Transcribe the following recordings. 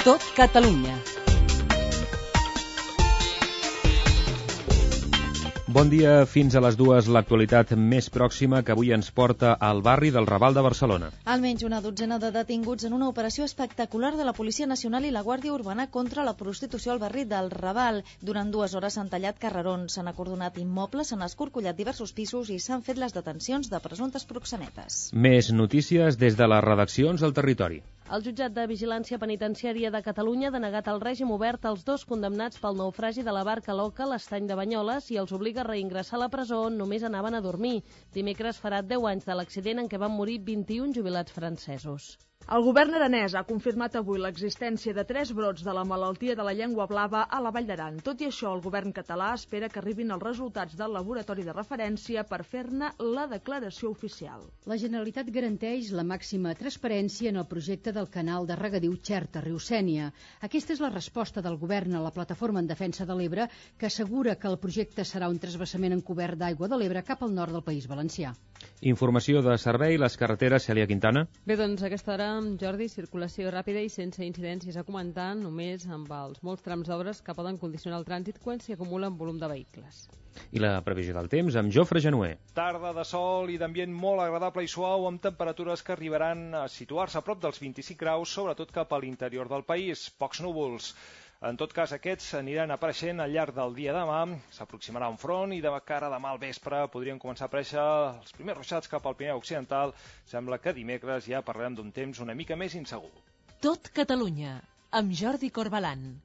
Tot Catalunya. Bon dia, fins a les 2, l'actualitat més pròxima que avui ens porta al barri del Raval de Barcelona. Almenys una dotzena de detinguts en una operació espectacular de la Policia Nacional i la Guàrdia Urbana contra la prostitució al barri del Raval. Durant 2 hores s'han tallat carrerons, s'han acordonat immobles, s'han escorcollat diversos pisos i s'han fet les detencions de presumptes proxenetes. Més notícies des de les redaccions al territori. El jutjat de Vigilància Penitenciària de Catalunya ha denegat el règim obert als 2 condemnats pel naufragi de la barca l'Oca a l'estany de Banyoles i els obliga a reingressar a la presó on només anaven a dormir. Dimecres farà 10 anys de l'accident en què van morir 21 jubilats francesos. El govern aranès ha confirmat avui l'existència de 3 brots de la malaltia de la llengua blava a la Vall d'Aran. Tot i això, el govern català espera que arribin els resultats del laboratori de referència per fer-ne la declaració oficial. La Generalitat garanteix la màxima transparència en el projecte del canal de regadiu Xerta-Riu-Sénia. Aquesta és la resposta del govern a la Plataforma en Defensa de l'Ebre, que assegura que el projecte serà un transvasament encobert d'aigua de l'Ebre cap al nord del País Valencià. Informació de servei, les carreteres, Cèlia Quintana. Bé, doncs a aquesta hora, Jordi, circulació ràpida i sense incidències a comentar, només amb els molts trams d'obres que poden condicionar el trànsit quan s'hi acumula un volum de vehicles. I la previsió del temps amb Jofre Genuer. Tarda de sol i d'ambient molt agradable i suau amb temperatures que arribaran a situar-se a prop dels 25 graus, sobretot cap a l'interior del país. Pocs núvols. En tot cas, aquests aniran apareixent al llarg del dia demà, s'aproximarà un front i de cara a demà al vespre podrien començar a aparèixer els primers ruixats cap al Pirineu Occidental. Sembla que dimecres ja parlarem d'un temps una mica més insegur. Tot Catalunya, amb Jordi Corbalan.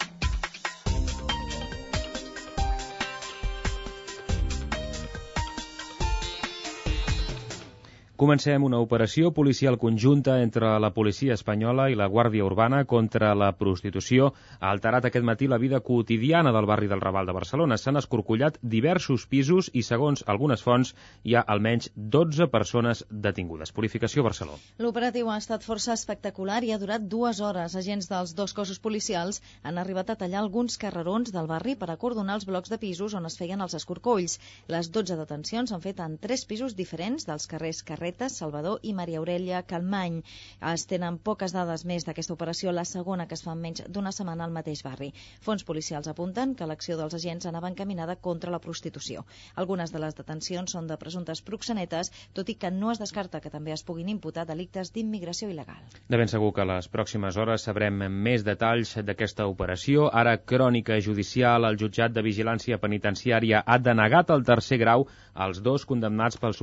Comencem una operació policial conjunta entre la policia espanyola i la Guàrdia Urbana contra la prostitució. Ha alterat aquest matí la vida quotidiana del barri del Raval de Barcelona. S'han escorcollat diversos pisos i, segons algunes fonts, hi ha almenys 12 persones detingudes. Purificació Barcelona. L'operatiu ha estat força espectacular i ha durat 2 hores. Agents dels 2 cossos policials han arribat a tallar alguns carrerons del barri per acordonar els blocs de pisos on es feien els escorcolls. Les 12 detencions s'han fet en 3 pisos diferents dels carrers Salvador i Maria Aurelia Calmany. Es tenen poques dades més d'aquesta operació, la segona que es fa en menys d'una setmana al mateix barri. Fons policials apunten que l'acció dels agents anava encaminada contra la prostitució. Algunes de les detencions són de presumptes proxenetes, tot i que no es descarta que també es puguin imputar delictes d'immigració il·legal. De ben segur que a les pròximes hores sabrem més detalls d'aquesta operació. Ara, crònica judicial, el jutjat de Vigilància Penitenciària ha denegat el 3è grau als 2 condemnats pel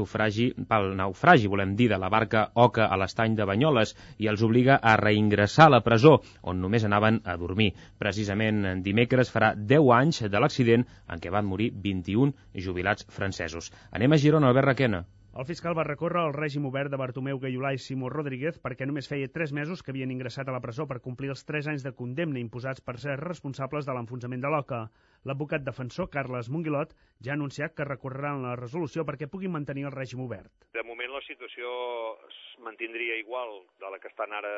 naufragi, volem dir, de la barca Oca a l'estany de Banyoles i els obliga a reingressar a la presó, on només anaven a dormir. Precisament dimecres farà 10 anys de l'accident en què van morir 21 jubilats francesos. Anem a Girona, Albert Requena. El fiscal va recórrer el règim obert de Bartomeu Gaiolà i Simó Rodríguez perquè només feia 3 mesos que havien ingressat a la presó per complir els 3 anys de condemna imposats per ser responsables de l'enfonsament de l'Oca. L'advocat defensor, Carles Monguilot, ja ha anunciat que recorreran la resolució perquè puguin mantenir el règim obert. De moment la situació es mantindria igual de la que estan ara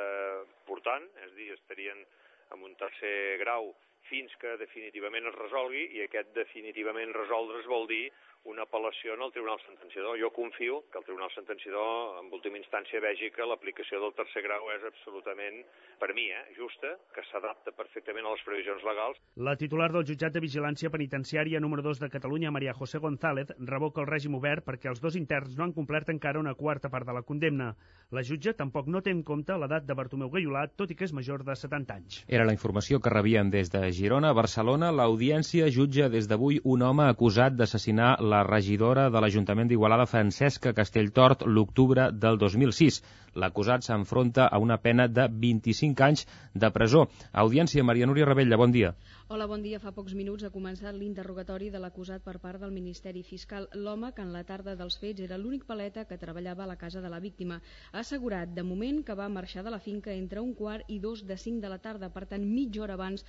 portant, és a dir, estarien en un 3è grau fins que definitivament es resolgui, i aquest definitivament resoldre's vol dir una apel·lació en el Tribunal Sentenciador. Jo confio que el Tribunal Sentenciador, en última instància, vegi que l'aplicació del 3è grau és absolutament, per mi, justa, que s'adapta perfectament a les previsions legals. La titular del jutjat de Vigilància Penitenciària número 2 de Catalunya, Maria José González, revoca el règim obert perquè els 2 interns no han complert encara una 4ª part de la condemna. La jutge tampoc no té en compte l'edat de Bartomeu Gaiolà, tot i que és major de 70 anys. Era la informació que rebíem des de Girona. A Barcelona, l'audiència jutja des d'avui un home acusat d'assassinar la regidora de l'Ajuntament d'Igualada, Francesca Castelltort, l'octubre del 2006. L'acusat s'enfronta a una pena de 25 anys de presó. Audiència, Maria Núria Rebella, bon dia. Hola, bon dia. Fa pocs minuts ha començat l'interrogatori de l'acusat per part del Ministeri Fiscal. L'home, que en la tarda dels fets era l'únic paleta que treballava a la casa de la víctima, ha assegurat de moment que va marxar de la finca entre 1:15 i 2:05 de la tarda, per tant mitja hora abans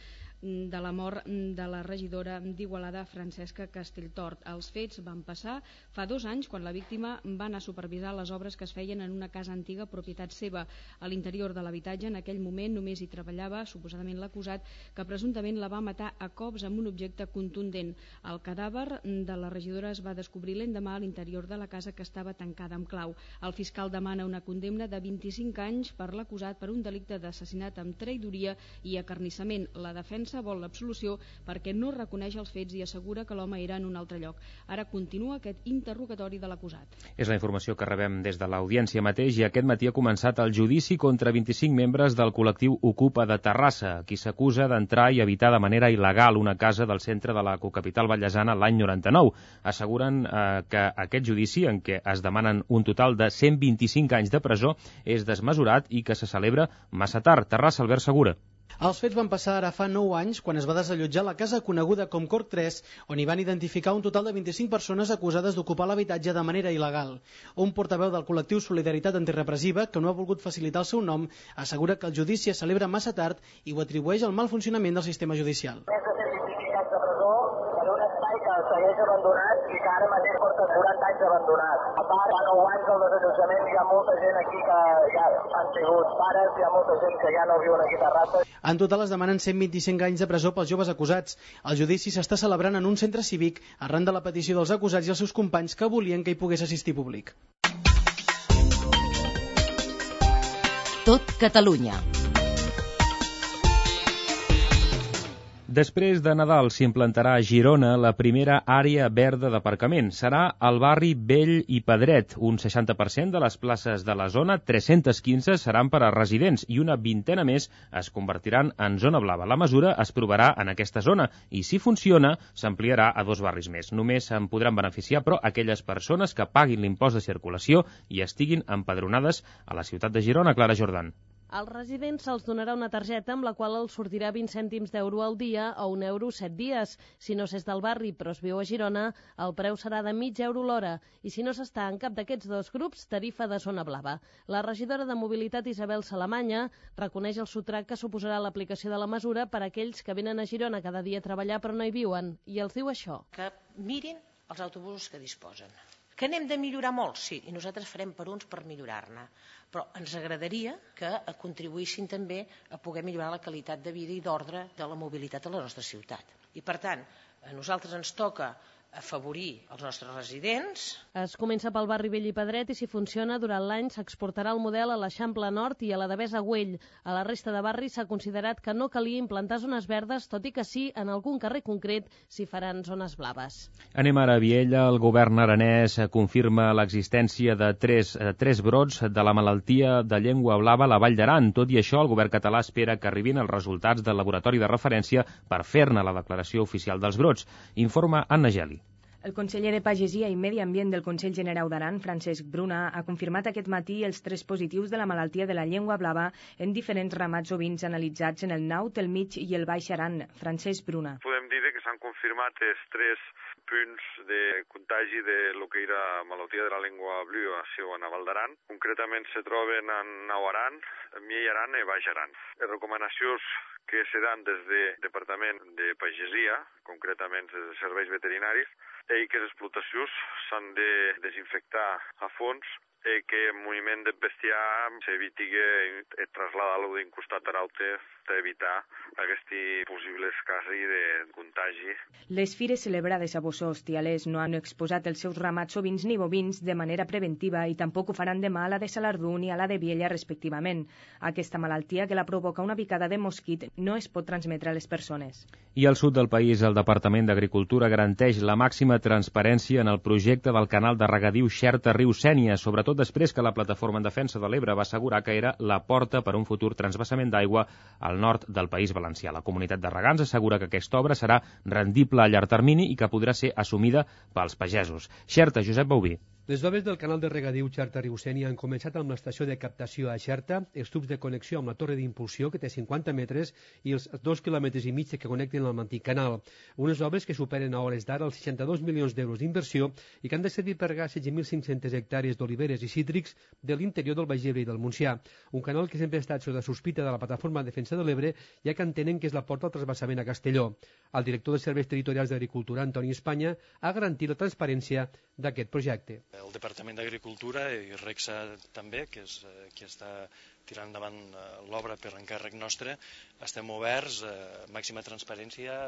de la mort de la regidora d'Igualada, Francesca Castelltort. Els fets van passar fa 2 anys, quan la víctima va anar a supervisar les obres que es feien en una casa antiga propietat seva. A l'interior de l'habitatge en aquell moment només hi treballava suposadament l'acusat, que presumptament la va matar a cops amb un objecte contundent. El cadàver de la regidora es va descobrir l'endemà a l'interior de la casa, que estava tancada amb clau. El fiscal demana una condemna de 25 anys per l'acusat per un delicte d'assassinat amb traïdoria i acarnissament. La defensa vol l'absolució perquè no reconeix els fets i assegura que l'home era en un altre lloc. Ara continua aquest interrogatori de l'acusat. És la informació que rebem des de l'Audiència mateix, i aquest matí ha començat el judici contra 25 membres del col·lectiu Ocupa de Terrassa, qui s'acusa d'entrar i habitar de manera il·legal una casa del centre de la cocapital vallesana l'any 99. Asseguren que aquest judici, en què es demanen un total de 125 anys de presó, és desmesurat i que se celebra massa tard. Terrassa, Albert Segura. Els fets van passar ara fa 9 anys, quan es va desallotjar la casa coneguda com Corc 3, on hi van identificar un total de 25 persones acusades d'ocupar l'habitatge de manera il·legal. Un portaveu del col·lectiu Solidaritat Antirepressiva, que no ha volgut facilitar el seu nom, assegura que el judici es celebra massa tard i ho atribueix al mal funcionament del sistema judicial. Més de 125 anys de presó per un espai que segueix abandonat i que ara mateix porta 40 anys abandonat. A part, fa 9 anys del desallotjament, hi ha molta gent aquí que ja han sigut pares, hi ha molta gent que ja no viuen aquí a Terrassa. En total es demanen 125 anys de presó pels joves acusats. El judici s'està celebrant en un centre cívic arran de la petició dels acusats i els seus companys, que volien que hi pogués assistir públic. Tot Catalunya. Després de Nadal s'implantarà a Girona la primera àrea verda d'aparcament. Serà al barri Vell i Pedret. Un 60% de les places de la zona, 315, seran per a residents i una vintena més es convertiran en zona blava. La mesura es provarà en aquesta zona i, si funciona, s'ampliarà a 2 barris més. Només se'n podran beneficiar, però, aquelles persones que paguin l'impost de circulació i estiguin empadronades a la ciutat de Girona. Clara Jordan. Als residents se'ls donarà una targeta amb la qual els sortirà 20 cèntims d'euro al dia o €1 7 dies. Si no s'és del barri però es viu a Girona, el preu serà de mig euro l'hora. I si no s'està en cap d'aquests 2 grups, tarifa de zona blava. La regidora de Mobilitat, Isabel Salamanya, reconeix el sotrac que suposarà l'aplicació de la mesura per a aquells que venen a Girona cada dia a treballar però no hi viuen. I els diu això. Que mirin els autobusos que disposen. Que n'hem de millorar molt, sí, i nosaltres farem per uns per millorar-ne. Però ens agradaria que contribuïssin també a poder millorar la qualitat de vida i d'ordre de la mobilitat a la nostra ciutat. I, per tant, a nosaltres ens toca afavorir els nostres residents. Es comença pel barri Vell i Pedret i, si funciona, durant l'any s'exportarà el model a l'Eixample Nord i a la Devesa Güell. A la resta de barris s'ha considerat que no calia implantar zones verdes, tot i que sí, en algun carrer concret, s'hi faran zones blaves. Anem ara a Viella. El govern aranès confirma l'existència de tres brots de la malaltia de llengua blava a la Vall d'Aran. Tot i això, el govern català espera que arribin els resultats del laboratori de referència per fer-ne la declaració oficial dels brots. Informa Anna Geli. El conseller de Pagesia i Medi Ambient del Consell Generau d'Aran, Francesc Bruna, ha confirmat aquest matí els 3 positius de la malaltia de la llengua blava en diferents ramats ovins analitzats en el Naut, el Mig i el Baix Aran. Francesc Bruna. Podem dir que s'han confirmat els 3 punts de contagi de lo que era malaltia de la llengua blua a Val d'Aran. Concretament se troben en Nau Aran, Miell Aran i Baix Aran. Les recomanacions que se dan des del Departament de Pagesia, concretament des dels serveis veterinaris, i que les explotacions s'han de desinfectar a fons i que el moviment de bestiar s'eviti trasladar-lo d'un costat a l'altre per evitar aquests possibles casos de contagi. Les fires celebrades a Bossó Hostialers no han exposat els seus ramats ovins ni bovins de manera preventiva i tampoc ho faran demà a la de Salardú ni a la de Viella, respectivament. Aquesta malaltia, que la provoca una picada de mosquit, no es pot transmetre a les persones. I al sud del país, el Departament d'Agricultura garanteix la màxima transparència en el projecte del canal de regadiu Xerta-Riu Sénia, sobretot després que la Plataforma en Defensa de l'Ebre va assegurar que era la porta per a un futur transvasament d'aigua al nord del País Valencià. La comunitat de regants assegura que aquesta obra serà rendible a llarg termini i que podrà ser assumida pels pagesos. Xerta, Josep Bauví. Les obres del canal de regadiu Xerta-Riusénia han començat amb l'estació de captació a Xerta, els tubs de connexió amb la torre d'impulsió, que té 50 metres, i els 2,5 quilòmetres que connecten amb l'antic canal. Unes obres que superen a hores d'ara els 62 milions d'euros d'inversió i que han de servir per regar 16.500 hectàrees d'oliveres i cítrics de l'interior del Baix Ebre i del Montsià. Un canal que sempre ha estat sota sospita de la Plataforma de Defensa de l'Ebre, ja que entenen que és la porta al trasbassament a Castelló. El director dels Serveis Territorials d'Agricultura, Antoni Espanya, ha garantit la transparència d'aquest projecte. El Departament d'Agricultura i RECSA també, que és qui està tirant endavant l'obra per encàrrec nostre, estem oberts a màxima transparència,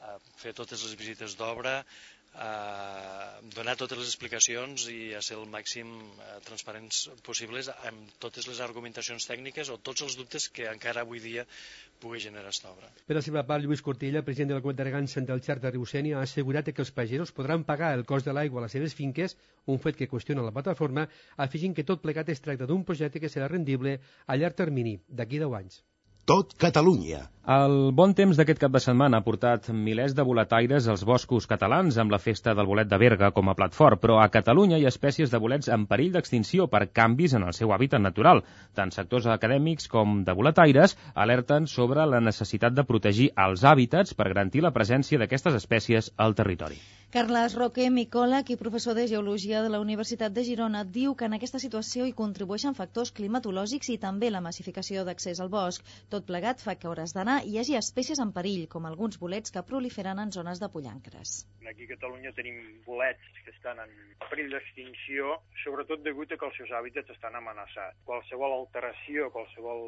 a fer totes les visites d'obra, a donar totes les explicacions i a ser el màxim transparents possibles amb totes les argumentacions tècniques o tots els dubtes que encara avui dia pugui generar aquesta obra. Per la seva part, Lluís Cortella, president de la Comunitat de Regants del Xerta-Riusénia, ha assegurat que els pagesos podran pagar el cost de l'aigua a les seves finques, un fet que qüestiona la plataforma, afegint que tot plegat es tracta d'un projecte que serà rendible a llarg termini, d'aquí 10 anys. Tot Catalunya. El bon temps d'aquest cap de setmana ha portat milers de boletaires als boscos catalans amb la festa del bolet de Berga com a plat fort, però a Catalunya hi ha espècies de bolets en perill d'extinció per canvis en el seu hàbitat natural. Tant sectors acadèmics com de boletaires alerten sobre la necessitat de protegir els hàbitats per garantir la presència d'aquestes espècies al territori. Carles Roque, micòleg i professor de Geologia de la Universitat de Girona, diu que en aquesta situació hi contribueixen factors climatològics i també la massificació d'accés al bosc. Tot plegat fa que a hores d'anar hi hagi espècies en perill, com alguns bolets que proliferen en zones de pollancres. Aquí a Catalunya tenim bolets que estan en perill d'extinció, sobretot degut a que els seus hàbitats estan amenaçats. Qualsevol alteració, qualsevol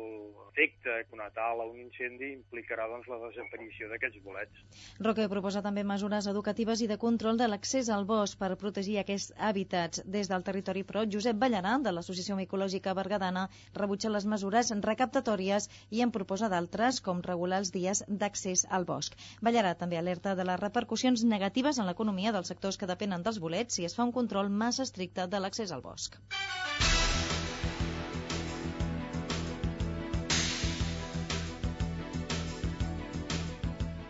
efecte conatal a un incendi implicarà la desaparició d'aquests bolets. Roque proposa també mesures educatives i de control de l'accés al bosc per protegir aquests hàbitats. Des del territori, però, Josep Ballarà, de l'Associació Micològica Berguedana, rebutja les mesures recaptatòries i en proposa d'altres, com regular els dies d'accés al bosc. Ballarà també alerta de les repercussions negatives en l'economia dels sectors que depenen dels bolets si es fa un control massa estricte de l'accés al bosc.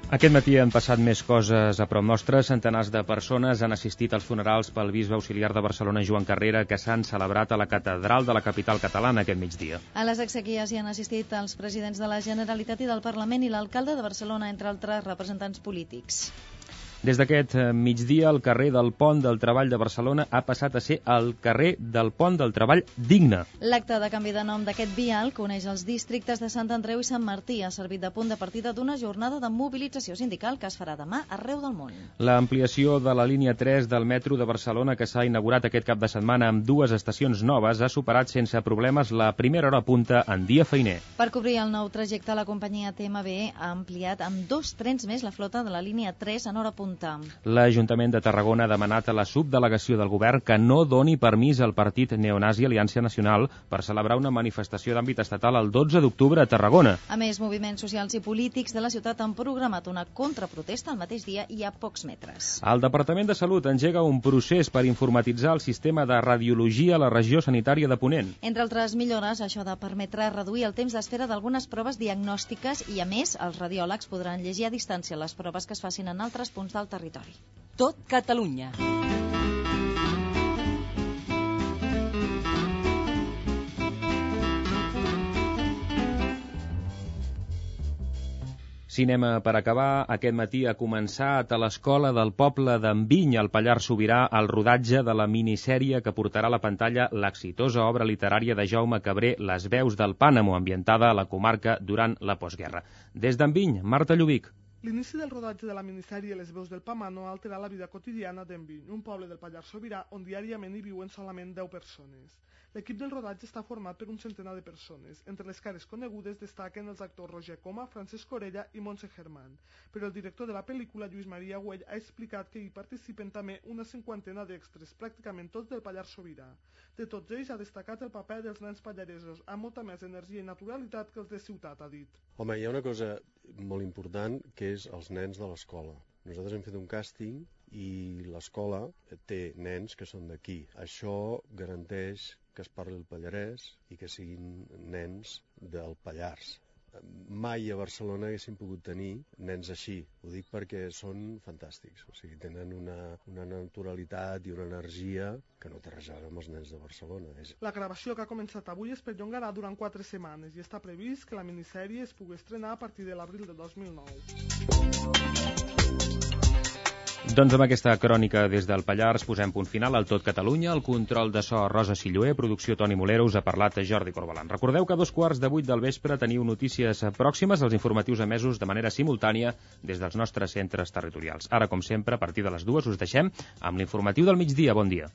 Aquest matí han passat més coses a prop nostre. Centenars de persones han assistit als funerals pel bisbe auxiliar de Barcelona, Joan Carrera, que s'han celebrat a la catedral de la capital catalana aquest migdia. A les exequies hi han assistit els presidents de la Generalitat i del Parlament i l'alcalde de Barcelona, entre altres representants polítics. Des d'aquest migdia, el carrer del Pont del Treball de Barcelona ha passat a ser el carrer del Pont del Treball Digne. L'acte de canvi de nom d'aquest vial, que uneix els districtes de Sant Andreu i Sant Martí, ha servit de punt de partida d'una jornada de mobilització sindical que es farà demà arreu del món. L'ampliació de la línia 3 del metro de Barcelona, que s'ha inaugurat aquest cap de setmana amb 2 estacions noves, ha superat sense problemes la primera hora punta en dia feiner. Per cobrir el nou trajecte, la companyia TMB ha ampliat amb 2 trens més la flota de la línia 3 en hora punta. L'Ajuntament de Tarragona ha demanat a la subdelegació del govern que no doni permís al partit neonazi Aliança Nacional per celebrar una manifestació d'àmbit estatal el 12 d'octubre a Tarragona. A més, moviments socials i polítics de la ciutat han programat una contraprotesta el mateix dia i a pocs metres. El Departament de Salut engega un procés per informatitzar el sistema de radiologia a la regió sanitària de Ponent. Entre altres millores, això ha de permetre reduir el temps d'espera d'algunes proves diagnòstiques i, a més, els radiòlegs podran llegir a distància les proves que es facin en altres punts del territori. Tot Catalunya. Cinema per acabar. Aquest matí ha començat a l'Escola del Poble d'Enviny, al Pallars Sobirà, el rodatge de la minissèrie que portarà a la pantalla l'exitosa obra literària de Jaume Cabré, Les veus del Pànamo, ambientada a la comarca durant la postguerra. Des d'Enviny, Marta Llubic. L'inici del rodatge de la minissèrie Les veus del Pànamo ha alterat la vida quotidiana d'Enviny, un poble del Pallars Sobirà on diàriament hi viuen solament 10 persones. L'equip del rodatge està format per un centenar de persones. Entre les cares conegudes destaquen els actors Roger Coma, Francesc Corella i Montse Germán. Però el director de la pel·lícula, Lluís Maria Güell, ha explicat que hi participen també una 50 d'extres, pràcticament tots del Pallars Sobirà. De tots ells ha destacat el paper dels nens pallaresos, amb molta més energia i naturalitat que els de ciutat, ha dit. Home, hi ha una cosa molt important, que és els nens de l'escola. Nosaltres hem fet un càsting i l'escola té nens que són d'aquí. Això garanteix que es parli el pallarès i que siguin nens del Pallars. mai a Barcelona haguéssim pogut tenir nens així. Ho dic perquè són fantàstics, o sigui, tenen una naturalitat i una energia que no té res a veure amb els nens de Barcelona. La gravació que ha començat avui es perllongarà durant 4 setmanes i està previst que la minissèrie es pugui estrenar a partir de l'abril de 2009. Doncs amb aquesta crònica des del Pallars posem punt final al Tot Catalunya. El control de so Rosa Silloé, producció Toni Molero, us ha parlat Jordi Corbalan. Recordeu que a 7:15 del vespre teniu notícies pròximes als informatius emesos de manera simultània des dels nostres centres territorials. Ara, com sempre, a partir de les 2 us deixem amb l'informatiu del migdia. Bon dia.